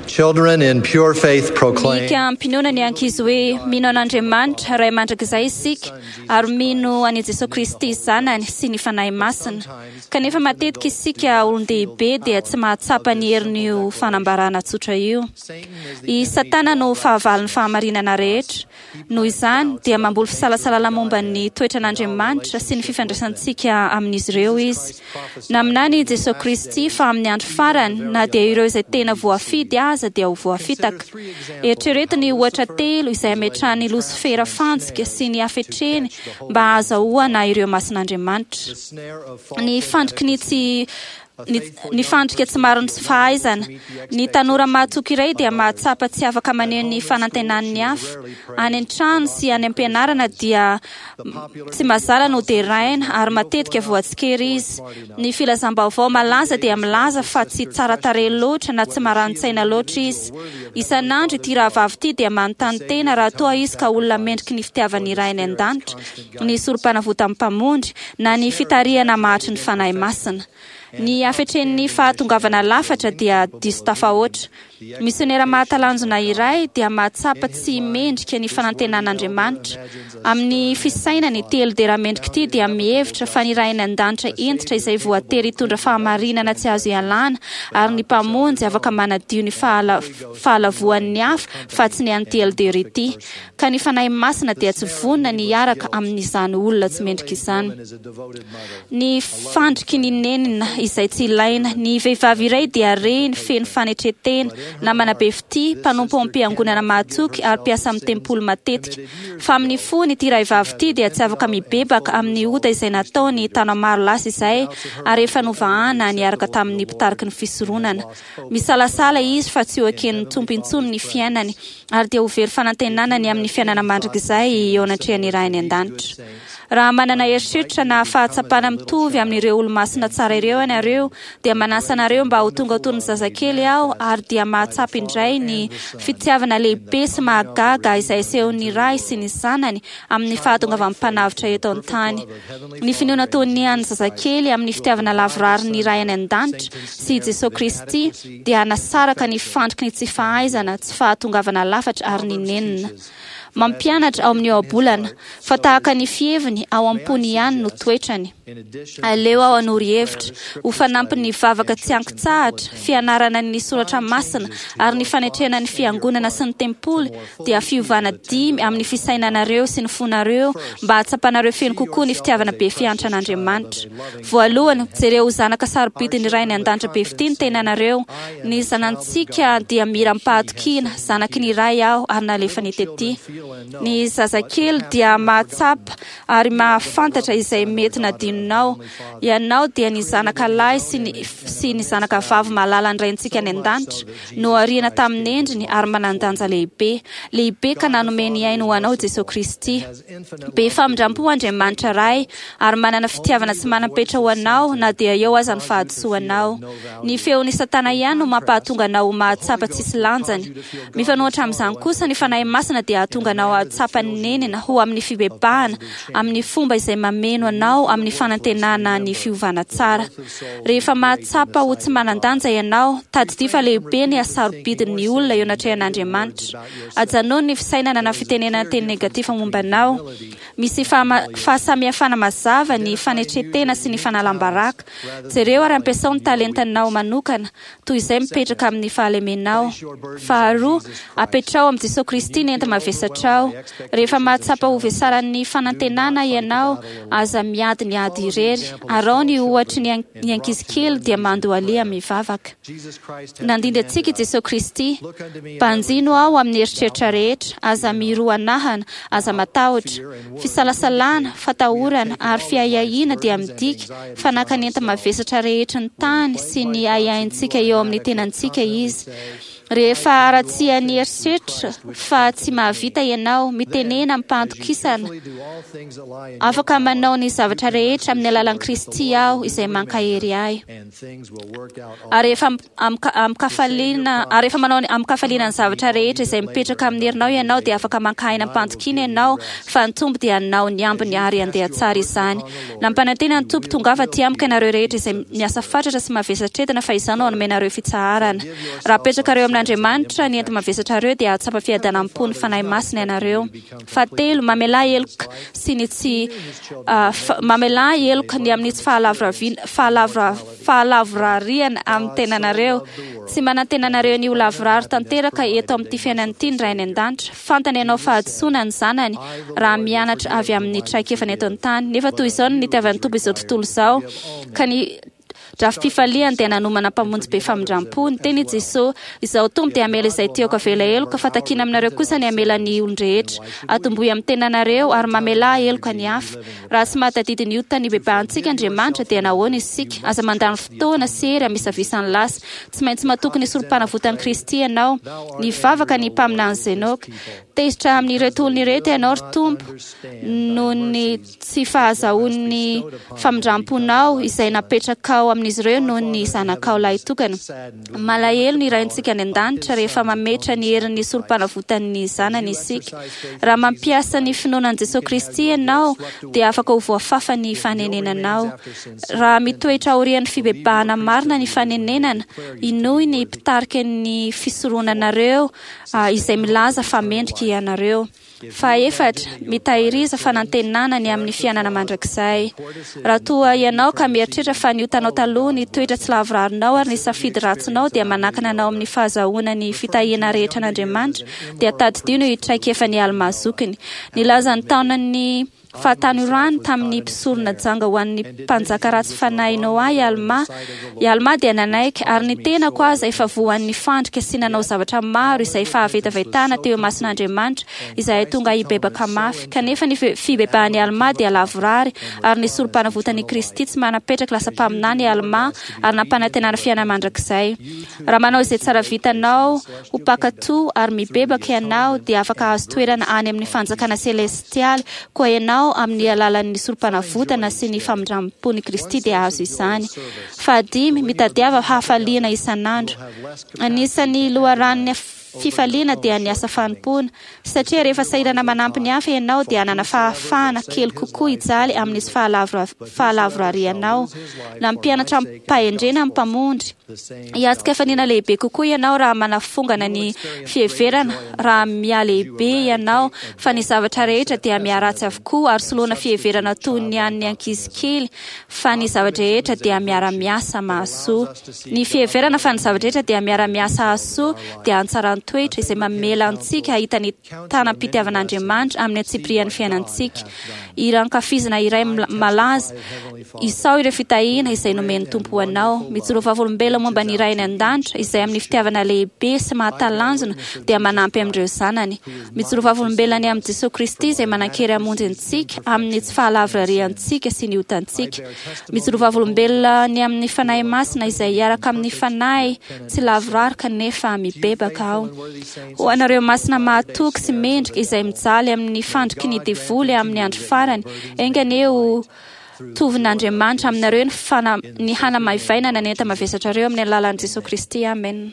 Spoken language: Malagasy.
Children in pure faith proclaim. Miaiky am-pinoana ny ankizy hoe mino an'Andriamanitra, Ray mandrakizay isika, ary mino an'i Jesoa Kristy Zanany sy ny Fanahy Masina. Kanefa matetika isika olon-dehibe dia tsy mahatsapa ny herin'io fanambarana tsotra io. I Satana no fahavalon'ny fahamarinana rehetra. Noho izany, dia mamboly fisalasalana momba ny toetran'Andriamanitra sy ny fifandraisantsika amin'izy ireo izy. Naminany i Jesoa Kristy fa amin'ny andro farany, na dia ireo izay tena voafidy aza dia ho voafitaka. Eritrereto ny ohatra telo izay ametrahan'i Losifera fantsika sy ny hafetreny mba hahazahoana ireo masin'Andriamanitra. Ny fandriky ny tsy Ny, ny fandrika tsy marin'ny tsy fahaizana. Ny tanora mahatoky iray dia mahatsapa tsy afaka maneho ny fanantenany ny hafa. Any an-trano sy any am-pianarana dia tsy mazàna no deraina ary matetika voatsikera izy. Ny filazam-baovao malaza dia milaza fa tsy tsara tarehy loatra na tsy marani-tsaina loatra izy. Isan'andro ity rahavavy ity dia manontany tena raha toa izy ka olona mendriky ny fitiavan'ny Ray any An-danitra, ny Sorompanavotan'ny Mpamonjy, na ny fitarihana mahatry ny Fanahy Masina. Ny hafetren'ny fahatongavana lafatra dia diso tafahoatra. Misionera mahatalanjona iray dia mahatsapa tsy mendrika ny fanantenan'Andriamanitra. Amin'ny fisainany, ity Eldera mendrika ity dia mihevitra fa ny Ray any An-danitra hentitra izay voatery hitondra fahamarinana tsy azo ialana ary ny Mpamonjy afaka manadio ny fahalavoan'ny hafa fa tsy ny an'ity Eldera ity. Ka ny Fanahy Masina dia tsy vonona ny hiaraka amin'izany olona tsy mendrika izany. Ny fandriky ny nenina izay tsy ilaina. Ny vehivavy iray dia reny feno fanetren-tena, namana be fitia, mpanompo ao am-piangonana mahatoky ary mpiasa amin'ny tempoly matetika. Fa amin'ny fony ity rahavavy ity dia tsy afaka mibebaka amin'ny ota izay nataony taona maro lasa izay ary efa novahana niaraka tamin'ny mpitariky ny fisoronana. Misalasala izy fa tsy ho eken'ny Tompo intsony ny fiainany ary dia ho very fanantenana ny amin'ny fiainana mandrakizay eo anatrehan'ny Ray any An-danitra. Raha manana eritreritra na fahatsapana mitovy amin'ireo olomasina tsara ireo ianareo, dia manasa anareo mba ho tonga toy ny zazakely aho ary dia mahatsapa indray ny fitiavana lehibe sy mahagaga izay asehon'ny Ray sy ny Zanany amin'ny fahatongavan'ny Mpanavotra eto an-tany. Ny finoana toy ny an'ny zazakely amin'ny fitiavana lavorary ny Ray any An-danitra sy i Jesoa Kristy dia hanasaraka ny fandriky ny tsy fahaizana, tsy fahatongavana lafatra ary ny nenina. Mampianatra ao amin'ny ohabolana, fa tahaka ny fiheviny ao am-pony ihany no toetrany. Aleo aho hanoro hevitra, ho fanampin'ny vavaka tsy ankitsahatra, fianarana ny soratra masina ary ny fanetrena ny fiangonana sy ny tempoly dia fiovana dimy amin'ny fisainanareo sy ny fonareo mba hahatsapanareo feno kokoa ny fitiavana be fiantran'Andriamanitra. Voalohany, jereo ho zanaka sarobidin'ny Ray any An-danitra be fitia ny tenanareo. Ny zanantsika dia mira amim-pahatokiana, zanaky ny Ray aho ary nalefany tety. Ny zazakely dia mahatsapa ary mahafantatra izay mety nadinonao. Ianao dia ny zanaka lahy sy ny sy ny zanaka vavy malalan'ny Raintsika any An-danitra, nohariana tamin'ny endriny ary manan-danja lehibe. Lehibe ka nanome ny ainy ho anao Jesoa Kristy. Be famindram-po Andriamanitra Ray ary manana fitiavana tsy manam-petra ho anao na dia eo aza ny fahadisoanao. Ny feon'i Satana ihany no mampahatonga anao ho mahatsapa tsisy lanjany. Mifanohitra amin'izany kosa, ny Fanahy Masina dia hahatonga anao hahatsapa ny nenina ho amin'ny fibebahana amin'ny fomba izay mameno anao amin'ny fanantenana ny fiovana tsara. Rehefa mahatsapa ho tsy manan-danja ianao, tadidio fa lehibe ny hasarobidin'ny olona eo anatrehan'Andriamanitra. Ajanony ny fisainana na fitenenana teny negatif momba anao. Misy fahasamihafana mazava ny fanetren-tena sy ny fanalam-baraka. Jereo ary ampiasao ny talentanao manokana, toy izay mipetraka amin'ny fahalemenao. Faharoa, apetraho amin'i Jesoa Kristy ny enta-mavesatrao. Rehefa mahatsapa ho vesaran'ny fanantenana ianao, aza miady ny ady irery. Araho ny ohatry ny ankizy kely dia mandohaleha mivavaka. Nandimby antsika i Jesoa Kristy. Banjino aho amin'ny eritreritra rehetra, aza miroanahana, aza matahotra. Fisalasalana, fatahorana, ary fiahiahiana dia midika fa naka ny enta-mavesatra rehetry ny tany sy ny ahiahintsika eo amin'ny tenantsika Izy. Rehefa haratsian'ny eritreritra fa tsy mahavita ianao, mitenena amim-pahatokisana, Afaka manao ny zavatra rehetra amin'ny alalan'i Kristy aho izay mankahery ahy. Ary rehefa amin-kafaliana, ary rehefa manao amin-kafaliana ny zavatra rehetra izay mipetraka amin'ny herinao ianao, dia afaka maka aina am-pantokiana ianao fa ny Tompo dia hanao ny ambiny ary handeha tsara izany. Nampanantena ny Tompo, Tongava aty amiko ianareo rehetra izay miasa fatratra sy mavesatra entana, fa Izaho no hanome anareo fitsaharana. Raha apetrakareo amin'Andriamanitra. amin'Andriamanitra ny enti-mavesatrareo dia hahatsapa fiadanam-po ny Fanahy Masina ianareo. Fahatelo, mamelà heloka sy ny tsy mamelà heloka ny amin'ny tsy fahalavorariana amin'ny tenanareo. Tsy manantena anareo ny ho lavorary tanteraka eto amin'ity fiainana ity ny Ray any An-danitra. Fantany hanao fahadisoana ny zanany raha mianatra avy amin'ny traikefany eto an-tany. Nefa toy izao no nitiavan'ny Tompo izao tontolo izao, ka ny Drafi-pifaliany dia nanomana Mpamonjy be famindram-po. Niteny i Jesoa, Izaho Tompo dia hamela izay tiako havela heloka, fa takiana aminareo kosa ny hamela ny olon-drehetra. Atombohy amin'ny tenanareo, ary mamelà heloka ny hafa. Raha tsy mahatadidy ny ota nibebahantsika Andriamanitra, dia nahoana isika? Aza mandany fotoana sy hery hamisavisa ny lasa. Tsy maintsy matoky ny Sorompanavotan'i Kristy ianao. Nivavaka ny mpaminany Zenoka. Tezitra amin'ireto olona ireto Ianao, ry Tompo, noho ny tsy fahazahoany ny famindram-ponao izay napetrakao amin'izy ireo noho ny Zanakao lahitokana. Malahelo ny Raintsika any An-danitra rehefa mametra ny herin'ny Sorompanavotan'ny Zanany isika. Raha mampiasa ny finoana an'i Jesoa Kristy ianao, dia afaka ho voafafa ny fanenenanao. Raha mitoetra aorian'ny fibebahana marina ny fanenenana, inoy ny mpitarika ny fisoronanareo izay milaza fa mendrika ianareo. Fahaefatra, mitahiriza fanantenana ny amin'ny fiainana mandrakizay. Raha toa ianao ka mieritreritra fa ny otanao taloha, ny toetra tsy lavorarinao ary ny safidy ratsinao dia manakana anao amin'ny fahazahoana ny fitahiana rehetra an'Andriamanitra, dia tadidio ny traikefan'i Almà zokiny. Nilaza ny taonan'ny Fahatanorany tamin'ny mpisorona janga ho an'ny mpanjaka ratsy fanahy Noa i Almà. I Almà dia nanaiky, ary ny tenako aza efa voan'ny fandrika sy nanao zavatra maro izay fahavetavetana teo imason'Andriamanitra, izahay tonga hibebaka mafy. Kanefa ny fibebahan'i Almà dia lavorary, ary ny Sorompanavotan'i Kristy tsy manam-petraka lasa mpaminany i Almà ary nampanantenana fiainana mandrakizay. Raha manao izay tsara vitanao ho mpankatò ary mibebaka ianao, dia afaka hahazo toerana any amin'ny fanjakana selestialy koa ianao amin'ny alalan'ny Sorompanavotana sy ny famindram-pon'i Kristy dia hahazo izany. Fahadimy, mitadiava hafaliana isan'andro. Anisan'ny loharanon'ny fifaliana dia ny asa fanompoana. Satria rehefa sahirana manampy ny hafa ianao dia hanana fahafahana kely kokoa hijaly amin'ny tsy fahalavorarianao. Nampianatra amim-pahendrena ny Mpamonjy. Hiatrika hafaliana lehibe kokoa ianao raha manafongana ny fiheverana raha mihalehibe ianao fa ny zavatra rehetra dia miharatsy avokoa ary soloana fiheverana toy ny an'ny ankizy kely fa ny zava-drehetra dia miara-miasa mahasoa. Ny fiheverana fa ny zava-drehetra dia miara-miasa hahasoa dia hantsaran-toetra izay mamela antsika hahita ny tanam-pitiavan'Andriamanitra amin'ny antsipirian'ny fiainantsika. Hira ankafizina iray malaza, Isao ireo fitahiana izay nomen'ny Tompo ho anao. Mijoroa vavolombelona momba ny Ray any An-danitra izay amin'ny fitiavana lehibe sy mahatalanjona dia manampy amin'ireo zanany. Mijoroa vavolombelona ny amin'i Jesoa Kristy izay manan-kery hamonjy antsika amin'ny tsy fahalavorariantsika sy ny otantsika. Mijoroa vavolombelona ny amin'ny Fanahy Masina izay hiaraka amin'ny fanahy tsy lavorary kanefa mibebaka aho. Ho anareo masina mahatoky sy mendrika izay mijaly amin'ny fandriky ny devoly amin'ny andro farany, enga anie ho tovin'Andriamanitra aminareo ny fana, ny hanamaivainana ny enta-mavesatrareo amin'ny alalan'i Jesoa Kristy. Amena.